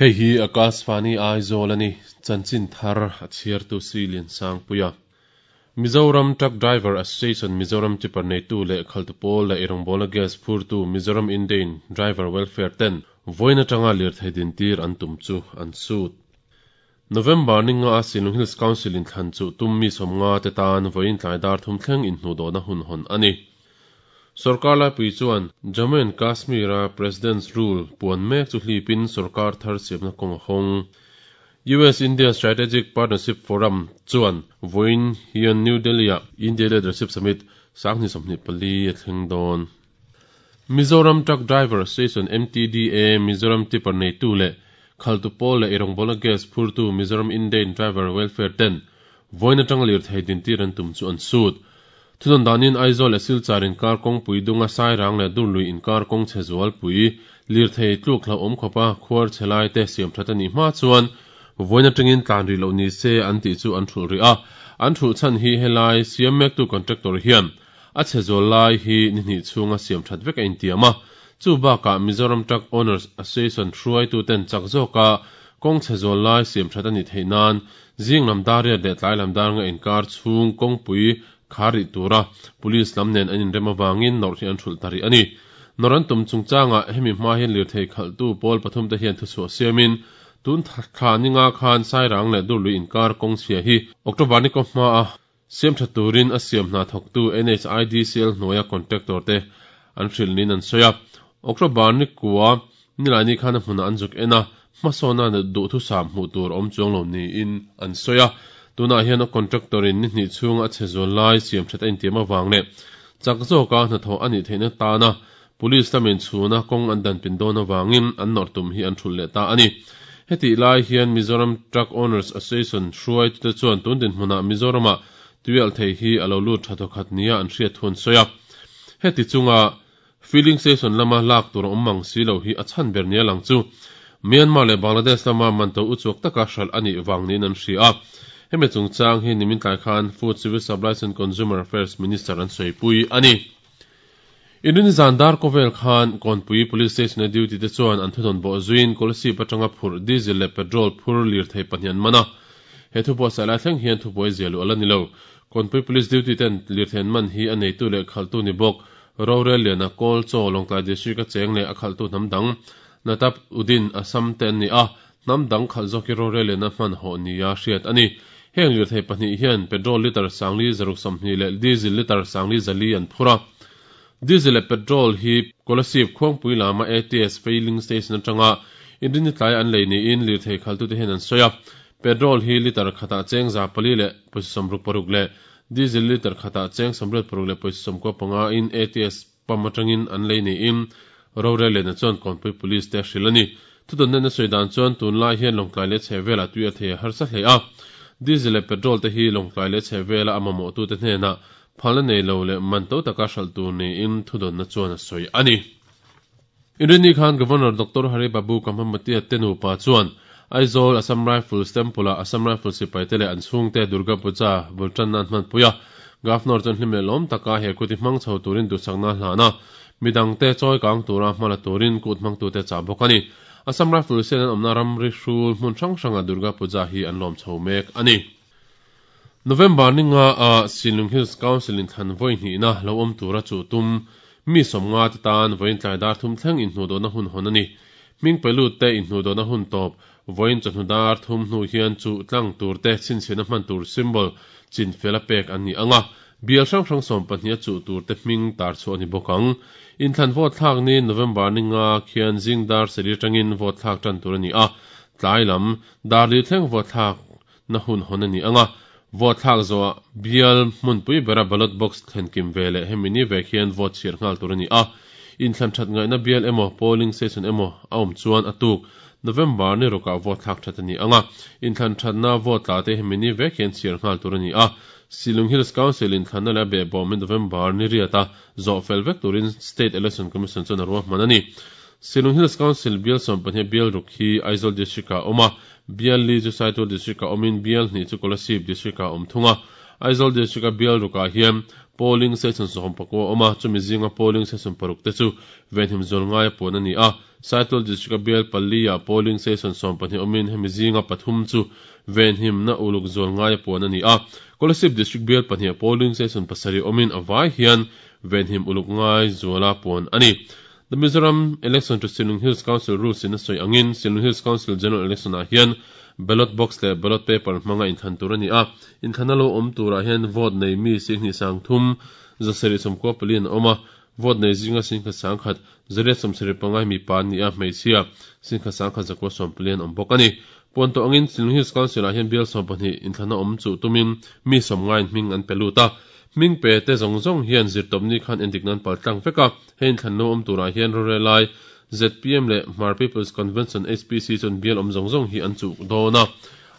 Hei hi Akashvani Aizawl a ni, chanchin thar a chhiartu si Liansangpuia. Mizoram Truck Driver Association Mizoram Tipper neitu leh khaltu pawl leh eirawngbawlna gas phurtu Mizoram Indane Driver Welfare ten vawiin atanga lirthei dintir an tum chu an sut. November ni nga a Sinlung Hills Council in thlan chuh tum mi 50 te tan vawiin tlai dar thum thleng inhnuhdawhna hun hawn a ni. Sorkar laipui chuan Jammu and Kashmir a President's Rule puan mek chu hlipin sorkar thar siamna kawng a hawng. US India Strategic Partnership Forum chuan vawiin hian New Delhi ah India Leadership Summit 2024 a thleng dawn. Mizoram Truck Driver Association, MTDA, Mizoram Tipper neitu leh khaltu pawl leh eirawngbawlna gas phurtu Mizoram Indane Driver Welfare ten vawiin atanga lirthei dintir an tum chu an sut. Thunawn danin Aizawl leh Silchar inkar kawngpui dunga Sairang leh Durlui inkar kawng chhe zualpui lirthei tluk hlauhawm khawpa khuar chhe lai te siam that a nih hma chuan vawiin atangin tlan rih loh ni se an tih chu an thulh rih a. An thulh chhan hi helai siam mektu contractor hian a chhe zual lai hi ni hnih chhunga siam that vek a intiam a. Chu bakah Mizoram Truck Owners Association hruaituten chak zawka kawng chhe zual lai siam that a nih theih nan zing lam dar riat leh tlai lam dar nga inkar chhung kawngpui khar rih tura Police lam nen an inrem avangin nawrh hi an hrulh ta rih a ni. Nawrh an tum chungchangah hemi hma hian lirthei khalhtu pawl pathum te hian thuchhuah siamin tun thla ni nga khan Sairang leh Durlui inkar kawng chhia hi October ni kaw hmaa siam tha turin a siam hna thawktu NHIDCL hnuaia contractor te an hrilh niin an sawi a. October ni kua Nilaini khan a hmunah an zuk en a, hmasawna duhthusam hmuh tur awm chuang lo niin an sawi a. Tunah hian a contractor in ni hnih chhunga a chhe zual lai siam that a intiam avang leh chak zawka hnathawh a nih theihna tana Police lamin chhuna kawng an danpin dawn avangin an nawrh tum hi an thulh leh ta a ni. Hetih lai hian Mizoram Truck Owners Association hruaitute chuan tun dinhmunah Mizoramah tuialhthei hi a lo lut tha thawkhat nia an hriat thu an sawi a. Heti chunga Filling station lama lak tur a awm mang si lo hi a chhan ber nia lang chu Myanmar leh Bangladesh lama manto uchuak taka hralh a nih vang niin an hria a. Hemi chungchang hi nimin tlai khan Food, Civil Supplies and Consumer Affairs Minister an sawipui a ni. Inrin zan dar kawvel khan Kawnpui Police Station-a duty te chuan an thunawn bawh zuiin Kolasib atanga phurh diesel leh petrol phur lirthei pahnih an man a. He thubuatsaih lai thleng hian thubuai zia luh a la ni lo. Kawnpui Police duty ten lirthei an man hi a neitu leh khalhtu ni bawk Rorel liana Kawl Chaw Lawngtlai District a cheng leh a khalhtu hnam dang Natap Udin Assam te an ni a, hnam dang khalh zawk hi Rorel liana hman hawh nia hriat a ni. Heng lirthei pahnih hian petrol litre 40 620 leh diesel litre 40 400 an phur a. Diesel leh petrol hi Kolasib Khuangpui lama ATS Filling Station atanga Inrini tlai an lei niin lirthei khalhtute hian an sawi a. Petrol hi litre khatah cheng 400 leh pawisa 66 leh Diesel litre khatah cheng 86 leh pawisa 95 in ATS pump atangin an lei niin rorel lehna chuan Kawnpui Police te a hrilh a ni. Thudawn nena sawi dan chuan tunlai hian Lawngtlai leh chhehvelah tui a thei a harsa hle a. Diesel leh petrol te hi Lawngtlai leh chhehvela a mamawhtute hnenah phalna nei lo leh man to taka hralh tur niin thudawnna chuan a sawi a ni. Inrinni khan Governor Doctor Hari Babu Kambhampati te nupa chuan Aizawl Assam Rifles Temple-ah Assam Rifles sipaite leh an chhungte Durga Puja bul tanna an hmanpui a. Governor chuan hlim leh lawm taka he kuti hmang chho turin duhsakna a hlan a, midangte chawi kang tura hma la turin kut hmangtute chah bawk a ni. Assam Rifles hian an awmna ramri hrul hmun hrang hrangah Durga Puja hi an lawm chho mek a ni. November ni nga ah Sinlung Hills Council in thlan vawi hnihna lo awm tura chuh tum mi 50 te tan vawiin tlai dar thum thleng inhnuhdawhna hun hawn a ni. Hming pe lut te inhnuhdawhna hun tawp vawiin chawhnu dar thum hnu hian chuh tlang tur te chhinchhiahna hman tur symbol chin fel a pek an ni ang a, bial hrang hrang 12 a chuh tur te hming tar chhuah a ni bawk ang. Inthlan vote thlak ni November ni nga khian zing dar sarih atangin vote thlak tan tur a ni a, tlai lam dar li thleng vote thlak na hun hawn a ni ang a, vote thlak zawhah bial hmunpui bera ballot box thlen kim ve leh hemi ni vek hian vote chhiar nghal tur a ni a, inthlan that ngaihna bial emaw polling station emaw a awm chuan a tuk November ni rukah vote thlak that a ni ang a, inthlan thatna vote tla te hemi ni vek hian chhiar nghal tur a ni a, Shillong Hills Council inthlanna leh a behbawm hi November ni riata zawh fel vek turin State Election Commission chuan a ruahman a ni. Shillong Hills Council bial 12 bial ruk hi Aizawl District-ah a awm a, Bial li chu Saitual District-ah awmin bial hnih chu Kolasib District-ah a awm thung a. Aizawl District-a bial rukah hian. Polling station 19 a awm a, chumi zinga polling station paruk te chu venhim zual ngaia puan a ni a. Saitual District-a bial pali-ah polling station 12 awmin hemi zinga pathum chu venhimna uluk zual ngaia puan a ni a. Kolasib District bial pahniha polling station pasarih awmin a vai hian venhim uluk ngai zuala puan a ni. The Mizoram Election to Shillong Hills Council Rules in a sawi angin Shillong Hills Council General Election ah hian ballot box leh ballot paper hmanga inthlan tur a ni a. Inthlanna lo awm turah hian vote nei mi singhnih sangthum 794 an awm a, vote nei zinga singkhat sangkhat 875 mipa an ni a, hmeichhia singkhat sangkhat 914 an awm bawk a ni. Puan tawh angin Shillong Hills Council ah hian bial 12 inthlanna awm chuh tumin mi sawmngaiin hming an pe lut a. Hming pe te zawng zawng hian zirtawpni khan endik nan pal tlang vek a, hei inthlan lo awm turah hian rorelai zpm leh Hmar People's Convention, HPC, chuan bial awm zawng zawng hi an chuh dawn a.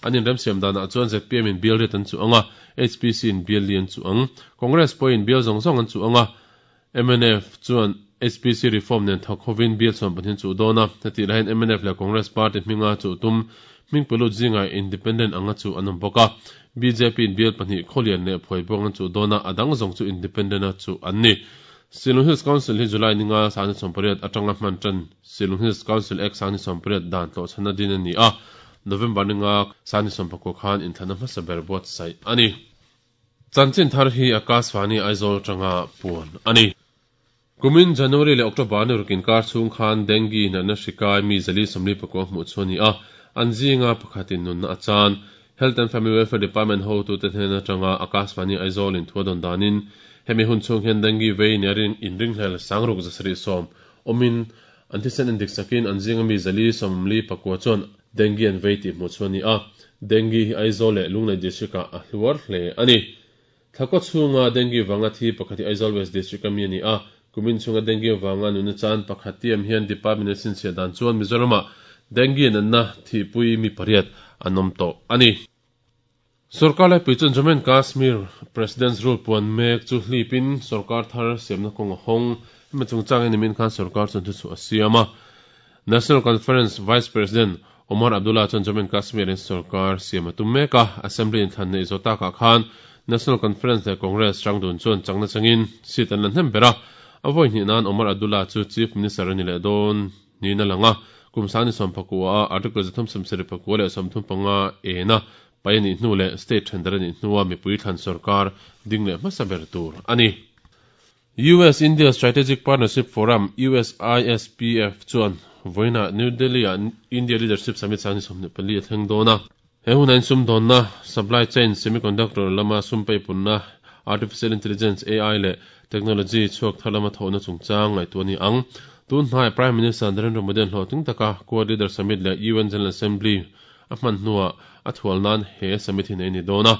An inremsiam danah chuan zpm in bial riat an chuh ang a, HPC in bial li an chuh ang. Congress pawhin bial zawng zawng an chuh ang a, mnf chuan HPC reform nen thawk hovin bial 12 an chuh dawn a. Hetih laiin mnf leh Congress party hminga chuh tum hming pelut zingah independent anga chuh an awm bawk a. Bjp in bial pahnih Khawlian leh Phuaibuang an chuh dawn a, a dang zawng chu independent a chuh an ni. Shillong Hills Council hi July ninga 2008 atanga hman tan Shillong Hills Council Act 2008 dan tlawhchhanna din a ni a, November ninga 2019 khan inthlanna hmasa ber buatsaih a ni. Chanchin thar hi Akashvani Aizawl atanga puan a ni. Kumin January leh October ni ruk inkar chhung khan Dengue natna hri kai mi 449 hmuh chu a ni a, an zinga pakhatin nunna a chan. Health and Family Welfare Department hotute hnen atanga Akashvani Aizawl in thu a dawn danin hemi hun chhung hian Dengue vei nia inringhlel sangruk 710 awmin an thisen endik sakin an zinga mi 449 chuan Dengue an vei tih hmuh chu a ni a, Dengue hi Aizawl leh Lunglei District-ah a hluar hle a ni. Thlakaw chhunga Dengue vanga thi pakhat hi Aizawl West District-a mi a ni a, kumin chhunga Dengue vanga nuna chan pakhat tiam hian Department a chhinchhiah dan chuan Mizoramah Dengue natna thihpui mi pariat an awm tawh a ni. Sorkar laipui chuan Jammu and Kashmir President's Rule puan mek chu hlipin sorkar thar siamna kawng a hawng. Hemi chungchang hi nimin khan sorkar chuan thuchhuah a siam a. National Conference Vice President Omar Abdullah chuan Jammu and Kashmir in sorkar siam a tum mek a, Assembly inthlan neih zawh takah khan National Conference leh Congress hrangdun chuan chakna changin seat an la hnem ber a. A vawi hnih nan Omar Abdullah chu Chief Minister a ni leh dawn niin a lang a, kum 2019 a Article 374 leh 35 ena pai a nih hnu leh state thendar a nih hnua mipui thlan sorkar ding leh hmasa ber tur a ni. US-India Strategic Partnership Forum, USISPF, chuan vawiinah New Delhi-ah India Leadership Summit 2024 a thleng dawn a. He hunah hian sumdawnna, supply chain, semiconductor lama sum peipunna, artificial intelligence, AI, leh technology chhuak thar lama thawhna chungchang ngaihtuah a ni ang. Tun hnaiah Prime Minister Narendra Modi-a'n hlawhtling taka Quad Leader Summit leh UN General Assembly a hman hnuah a thual nan he summit hi neih a ni dawn a.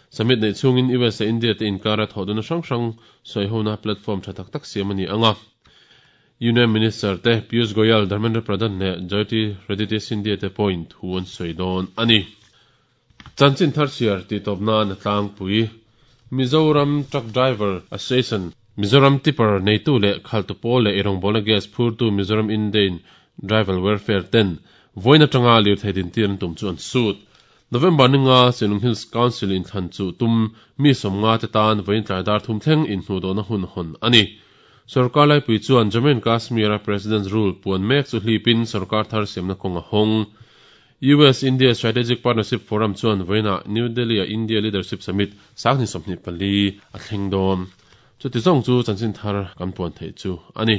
Summit neih chhungin US leh India te inkara thawhduna hrang hrang sawihona platform tha tak tak siam a ni ang a. Union Minister te Piyush Goyal, Dharmendra Pradhan leh Jyotiraditya Scindia te pawhin thu an sawi dawn a ni. Chanchin thar chhiar tih tawp nan a tlangpui. Mizoram Truck Driver Association, Mizoram Tipper neitu leh khaltu pawl leh eirawngbawlna gas phurtu Mizoram Indian Driver Welfare ten vawiin atanga lirthei dintir an tum chu an sut. November ninga Shillong Hills Council inthlan chu tum mi sawmnga te tan vawiin tlai dar thum thleng inhnuhdawhna hun hawn a ni. Sorkar laipui chuan Jammu and Kashmir-a President's Rule puan mek chu hlipin sorkar thar siamna kawng a hawng. US-India Strategic Partnership Forum chuan vawiinah New Delhi-a India Leadership Summit 2024 a thleng dawn. Chuti zawng chu chanchin thar kan puan theih chu a ni.